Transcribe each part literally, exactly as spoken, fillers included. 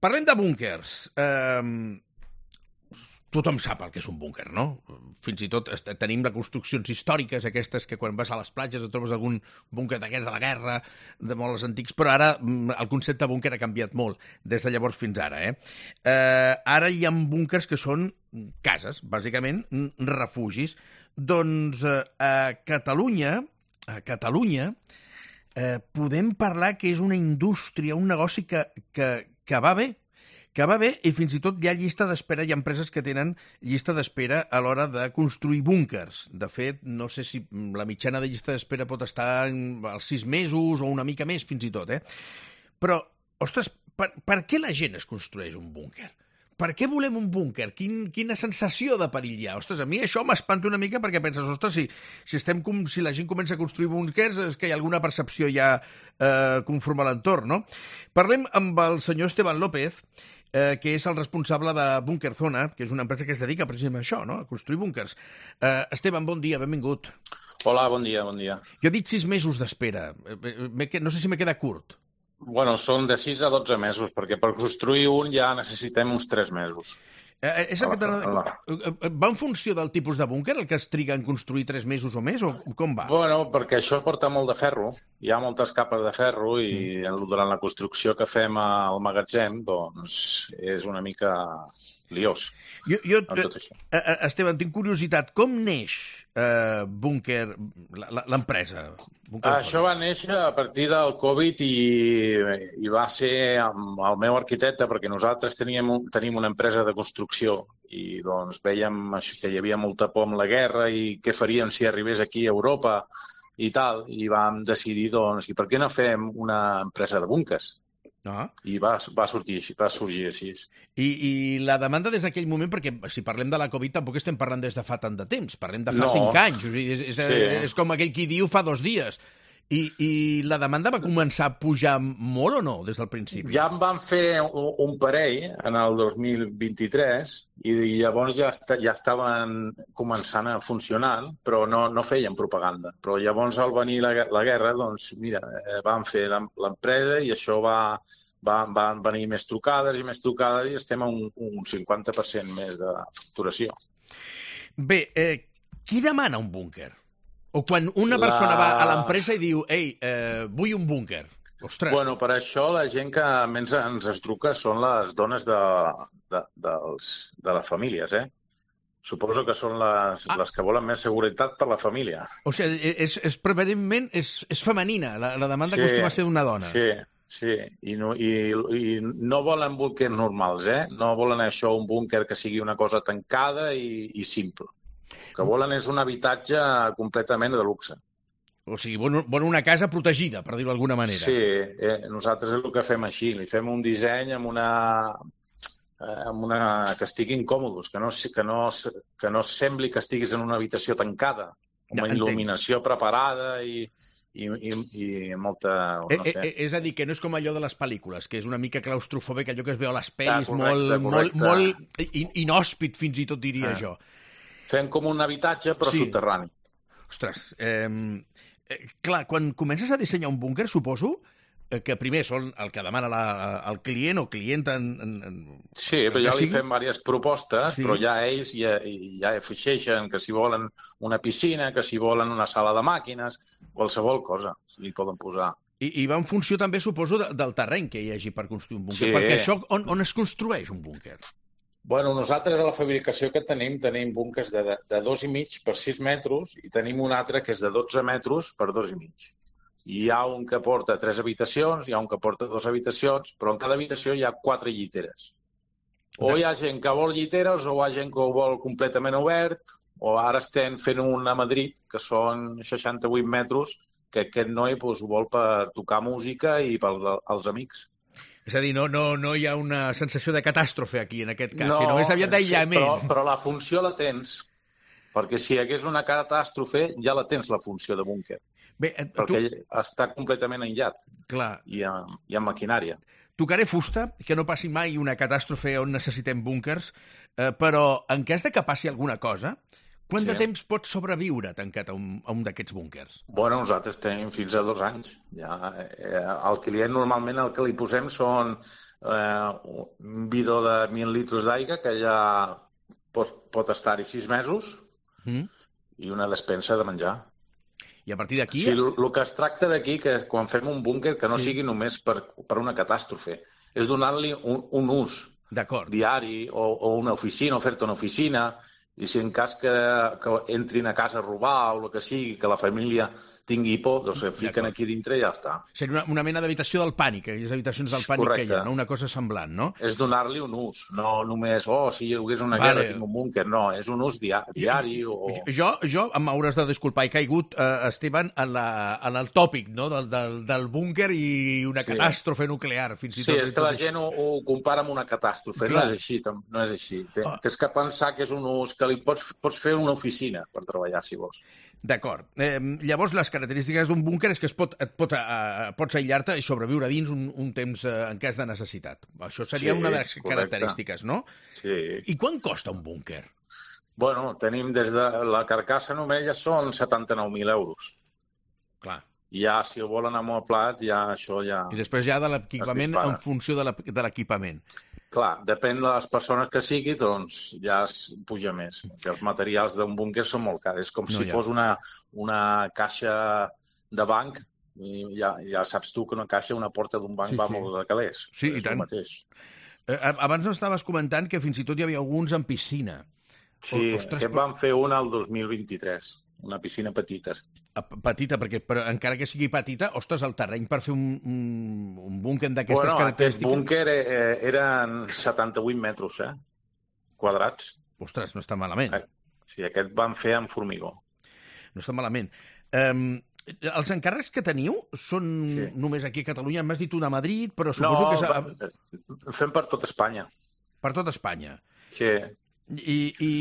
Parlem de búnkers. Eh, tothom sap el que és un búnquer, no? Fins i tot tenim les construccions històriques, aquestes que quan vas a les platges et trobes algun búnquer d'aquests de la guerra, de molts antics, però ara el concepte búnquer ha canviat molt des de llavors fins ara. Eh? Eh, ara hi ha búnkers que són cases, bàsicament refugis. Doncs eh, a Catalunya, a Catalunya eh, podem parlar que és una indústria, un negoci que, que, que va bé, que va bé, i fins i tot hi ha llista d'espera, hi ha empreses que tenen llista d'espera a l'hora de construir búnkers. De fet, no sé si la mitjana de llista d'espera pot estar als sis mesos o una mica més, fins i tot, eh? Però, ostres, per, per què la gent es construeix un búnquer? Per què volem un búnquer? Quin, quina sensació de perill hi ha? Ostres, a mi això m'espanta una mica perquè penses, ostres, si, si, estem, si la gent comença a construir búnquers és que hi ha alguna percepció ja eh, conforme a l'entorn, no? Parlem amb el senyor Esteban López, eh, que és el responsable de Búnquer Zona, que és una empresa que es dedica precisament a això, no? A construir búnquers. Eh, Esteban, bon dia, benvingut. Hola, bon dia, bon dia. Jo he dit sis mesos d'espera. No sé si m'he quedat curt. Bueno, són de sis a dotze mesos, perquè per construir un ja necessitem uns tres mesos. Eh, és el que la... Va en funció del tipus de búnquer, el que es triga en construir tres mesos o més, o com va? Bueno, perquè això porta molt de ferro, hi ha moltes capes de ferro i mm. durant la construcció que fem al magatzem, doncs és una mica liós. Jo, jo Esteban, tinc curiositat, com neix eh, Búnquer, l'empresa? Això va néixer a partir del Covid i, i va ser amb el meu arquitecte, perquè nosaltres teníem, tenim una empresa de construcció i doncs veiem que hi havia molta por amb la guerra i què faríem si arribés aquí a Europa i tal, i vam decidir, doncs, i per què no fem una empresa de búnquers? Ah. I va, va, sortir, va sorgir així. I, I la demanda des d'aquell moment, perquè si parlem de la Covid tampoc estem parlant des de fa tant de temps, parlem de fa no. cinc anys, és, és, sí. és com aquell qui diu fa dos dies. I, I la demanda va començar a pujar molt o no, des del principi? Ja en vam fer un, un parell en el dos mil vint-i-tres i llavors ja, est ja estaven començant a funcionar, però no, no feien propaganda. Però llavors al venir la, la guerra, doncs mira, vam fer l'empresa i això va, va, van venir més trucades i més trucades i estem a un, un cinquanta per cent més de facturació. Bé, eh, qui demana un búnquer? O quan una persona la... va a l'empresa i diu «Ei, eh, vull un búnquer». Ostres. Bueno, per això la gent que menys ens es truca són les dones de, de, dels, de les famílies, eh? Suposo que són les, ah. les que volen més seguretat per la família. O sigui, és, és prevalentment és, és femenina, la, la demanda sí, acostuma a ser d'una dona. Sí, sí, I no, i, i no volen búnquers normals, eh? No volen això, un búnquer que sigui una cosa tancada i, i simple. El que volen és un habitatge completament de luxe. O sigui, volen una casa protegida, per dir-ho d'alguna manera. Sí, eh, nosaltres és el que fem així. Li fem un disseny amb una, eh, amb una que estiguin còmodes, que no, que, no, que no sembli que estiguis en una habitació tancada, amb una il·luminació preparada i, i, i, i molta... No eh, sé. Eh, és a dir, que no és com allò de les pel·lícules, que és una mica claustrofòbic, allò que es veu a les pel·lis, ah, correcte, molt, correcte. molt, molt inhòspit, fins i tot diria ah. jo. Fem com un habitatge, però sí. subterrani. Ostres, eh, eh, clar, quan comences a dissenyar un búnquer, suposo eh, que primer són el que demana la, el client o client en... en, en sí, però ja li fem diverses propostes, sí. però ja ells ja, ja afegeixen que si volen una piscina, que si volen una sala de màquines, qualsevol cosa li poden posar. I, i va en funció també, suposo, de, del terreny que hi hagi per construir un búnquer, sí. perquè això, on, on es construeix un búnquer? Bueno, nosaltres a la fabricació que tenim tenim búnquers de, de, de dos i mig per sis metres i tenim un altre que és de dotze metres per dos i mig. Hi ha un que porta tres habitacions, hi ha un que porta dues habitacions, però en cada habitació hi ha quatre lliteres. O hi ha gent que vol lliteres o hi ha gent que ho vol completament obert, o ara estem fent un a Madrid, que són seixanta-vuit metres, que aquest noi doncs, ho vol per tocar música i pels amics. És a dir, no, no, no hi ha una sensació de catàstrofe aquí, en aquest cas, no, sinó més aviat d'aïllament. Però, però la funció la tens, perquè si hi hagués una catàstrofe, ja la tens, la funció de búnquer. Bé, perquè tu... està completament aïllat. Clar. I amb, i amb maquinària. Tocaré fusta, que no passi mai una catàstrofe on necessitem búnquers, eh, però en cas de que passi alguna cosa, quant sí. de temps pots sobreviure tancat a un, a un d'aquests búnquers? Bueno, nosaltres tenim fins a dos anys. Ja, eh, el client normalment el que li posem són eh, un bidó de mil litres d'aigua que ja pot, pot estar-hi sis mesos mm. i una despensa de menjar. I a partir d'aquí... Sí, el, el que es tracta d'aquí, que quan fem un búnquer, que no sí. sigui només per, per una catàstrofe, és donar-li un, un ús diari o, o una oficina, o fer-te una oficina, i si en cas que, que entrin a casa a robar o el que sigui, que la família tingui por, doncs es fiquen aquí dintre i ja està. Seria una, una mena d'habitació del pànic, aquelles habitacions del pànic Correcte. Que hi ha, no? Una cosa semblant, no? És donar-li un ús, no només, oh, si hi hagués una vale. guerra tinc un búnquer, no, és un ús diari, diari o... Jo, jo m'hauràs de disculpar, he caigut, eh, Esteban, en, la, en el tòpic, no?, del, del, del búnquer i una sí. catàstrofe nuclear, fins i tot. Sí, és que la gent ho, ho compara amb una catàstrofe, Clar. no és així, no és així. Tens, tens que pensar que és un ús, que li pots, pots fer una oficina per treballar, si vols. D'acord. Eh, llavors, les característiques d'un búnquer és que es pot, et pot, eh, pots aïllar-te i sobreviure dins un, un temps eh, en cas de necessitat. Això seria sí, una de les correcte. característiques, no? Sí. I quant costa un búnquer? Bueno, tenim des de la carcassa només ja són setanta-nou mil euros. Clar. Ja, si ho volen amb el plat, ja això ja... I després ja de l'equipament en funció de l'equipament. Clar, depèn de les persones que sigui, doncs ja es puja més. Perquè els materials d'un búnquer són molt cars. És com no, si ja. fos una, una caixa de banc, i ja, ja saps tu que una caixa, una porta d'un banc sí, va sí. molt de calés. Sí, i tant. Mateix. Eh, abans estaves comentant que fins i tot hi havia alguns en piscina. Sí, Ostres, aquest van fer una al dos mil vint-i-tres. Una piscina petita. Petita, perquè però encara que sigui petita, ostres, el terreny per fer un, un, un búnquer d'aquestes bueno, característiques... Bueno, aquest búnquer eh, eren setanta-vuit metres, eh? Quadrats. Ostres, no està malament. Sí, aquest van fer amb formigó. No està malament. Um, els encàrrecs que teniu són sí. només aquí a Catalunya? M'has dit una a Madrid, però suposo no, que... és... No, fem per tot Espanya. Per tot Espanya? Sí. I... i...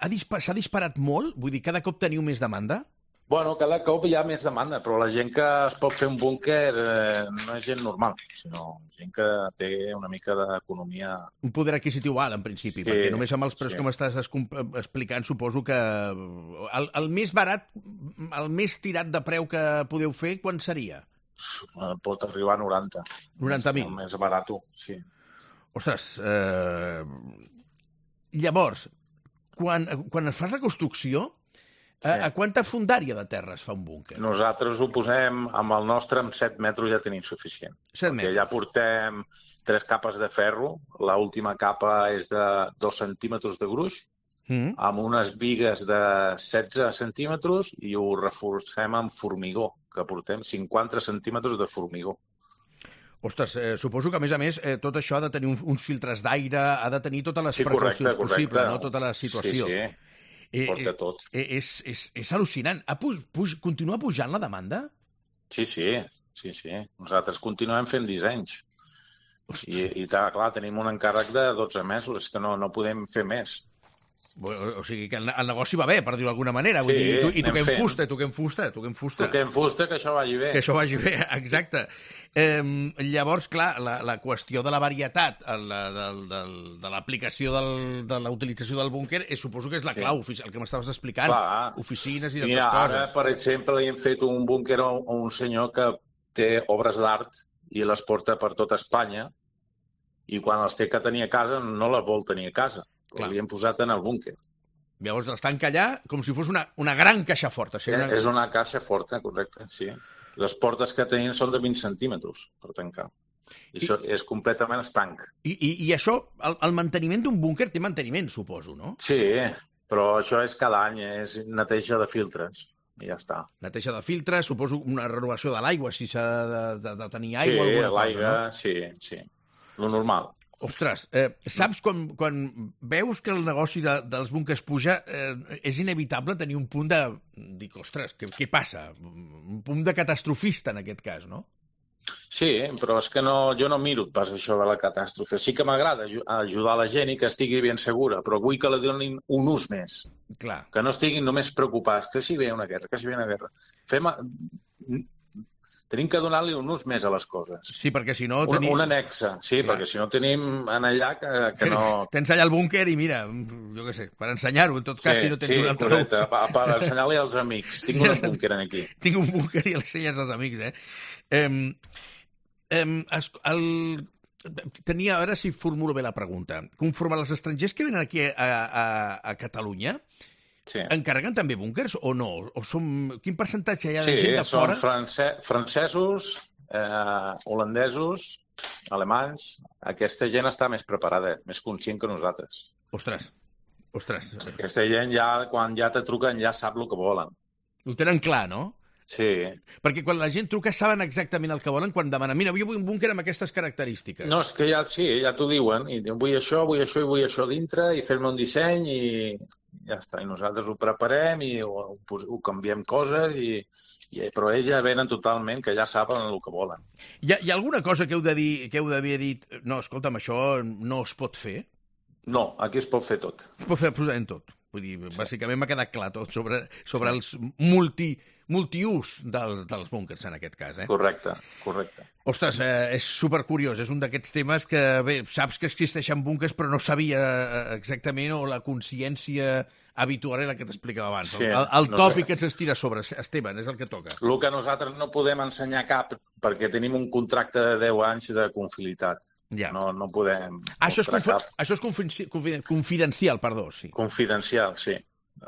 S'ha disparat molt? Vull dir, cada cop teniu més demanda? Bueno, cada cop hi ha més demanda, però la gent que es pot fer un búnquer eh, no és gent normal, sinó gent que té una mica d'economia... Un poder adquisitiu alt, en principi, sí, perquè només amb els preus sí. que m'estàs explicant suposo que el, el més barat, el més tirat de preu que podeu fer, quan seria? Pot arribar a noranta. noranta mil? El més barat, sí. Ostres, eh... llavors... Quan, quan es fa la construcció, sí. a, a quanta fondària de terra es fa un búnquer? Nosaltres ho posem, amb el nostre, amb set metres ja tenim suficient. set metres. Perquè ja portem tres capes de ferro, l'última capa és de dos centímetres de gruix, mm. amb unes bigues de setze centímetres i ho reforcem amb formigó, que portem cinquanta centímetres de formigó. Ostres, eh, suposo que, a més a més, eh, tot això ha de tenir uns, uns filtres d'aire, ha de tenir totes les sí, precaucions correcte, possibles, correcte. no? Tota la situació. Sí, sí, eh, porta tot. Eh, és, és, és al·lucinant. Ha pu puj, continua pujant la demanda? Sí, sí, sí, sí. Nosaltres continuem fent dissenys. Ostres. I, i clar, tenim un encàrrec de dotze mesos, és que no, no podem fer més. O, o sigui que el, el negoci va bé, per dir-ho d'alguna manera. Vull sí, dir, i, tu, i toquem fent. fusta, toquem fusta, toquem fusta. Toquem fusta, que això vagi bé. Que això vagi bé, exacte. Eh, llavors, clar, la, la qüestió de la varietat, la, del, del, de l'aplicació de la utilització del búnquer, és, suposo que és la clau, sí. el que m'estaves explicant. Clar. Oficines i d'altres Mira, coses. Ara, per exemple, li hem fet un búnquer a un senyor que té obres d'art i les porta per tot Espanya i quan les té que tenir a casa no les vol tenir a casa. Li hem posat en el búnquer. Llavors les tanca allà com si fos una, una gran caixa forta. Sí, una... És una caixa forta, correcte, sí. Les portes que tenim són de vint centímetres per tancar. I, I això és completament estanc. I, i, i això, el, el manteniment d'un búnquer té manteniment, suposo, no? Sí, però això és cada any, és neteja de filtres. I ja està. Neteja de filtres, suposo una renovació de l'aigua, si s'ha de, de, de tenir aigua o sí, alguna cosa, l'aigua, no? Sí, sí. Lo normal. Ostres, eh, saps quan, quan veus que el negoci de, dels búnquers puja, eh, és inevitable tenir un punt de... Dic, ostres, què, què passa? Un punt de catastrofista, en aquest cas, no? Sí, però és que no, jo no miro pas això de la catàstrofe. Sí que m'agrada ajudar la gent i que estigui ben segura, però vull que li donin un ús més. Clar. Que no estiguin només preocupats, que si ve una guerra, que si ve una guerra. Fem... Tenim que donar-li un ús més a les coses. Sí, perquè si no... Tenim... Un, un anexa, sí, clar. Perquè si no tenim en allà que, que no... Tens allà el búnquer i mira, jo què sé, per ensenyar-ho, en tot cas, sí, si no tens sí, un altre correcte, ús. Per, per ensenyar-li als amics. Tinc un búnquer aquí. Tinc un búnquer i l'ensenyes als amics, eh? Um, um, el, tenia, ara si formulo bé la pregunta, conforme als estrangers que venen aquí a, a, a Catalunya, sí. encarreguen també búnkers o no? O som... Quin percentatge hi ha de sí, gent de fora? Sí, són france francesos, eh, holandesos, alemanys. Aquesta gent està més preparada, més conscient que nosaltres. Ostres, ostres. Aquesta gent ja, quan ja te truquen, ja sap el que volen. Ho tenen clar, no? Sí. Perquè quan la gent truca saben exactament el que volen quan demanen, mira, jo vull un búnquer amb aquestes característiques. No, és que ja, sí, ja t'ho diuen. I diuen, vull això, vull això i vull això dintre i fer-me un disseny i ja està. I nosaltres ho preparem i ho, ho canviem coses i, i però ells ja venen totalment que ja saben el que volen. Hi ha, hi ha alguna cosa que heu de dir, que heu d'haver dit, no, escolta'm, això no es pot fer? No, aquí es pot fer tot. Es pot fer absolutament tot. Vull dir, sí. Bàsicament m'ha quedat clar tot sobre, sobre sí. els multi, multiús del, dels búnkers, en aquest cas. Eh? Correcte, correcte. Ostres, eh, és supercuriós, és un d'aquests temes que, bé, saps que existeixen búnkers, però no sabia exactament, o la consciència habitual era la que t'explicava abans. Sí, el el no tòpic sé. Que ens estira sobre, Esteban, és el que toca. El que nosaltres no podem ensenyar cap, perquè tenim un contracte de deu anys de confidelitat. Ja. No, no podem... Ah, això, és confi això és confi confidencial, perdó, sí. Confidencial, sí.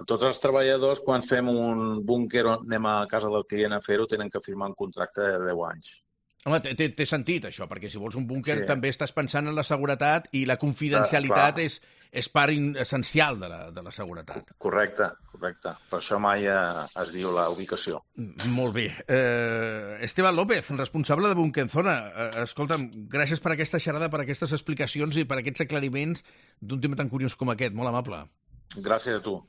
Tots els treballadors, quan fem un búnquer o anem a casa del client a fer-ho, tenen que firmar un contracte de deu anys. Home, té, té sentit, això, perquè si vols un búnquer sí. també estàs pensant en la seguretat i la confidencialitat és, és part essencial de la, de la seguretat. Correcte, correcte. Per això mai eh, es diu la ubicació. Molt bé. Eh, Esteban López, responsable de Bunquenzona. Eh, escolta'm, gràcies per aquesta xerrada, per aquestes explicacions i per aquests aclariments d'un tema tan curiós com aquest. Molt amable. Gràcies a tu.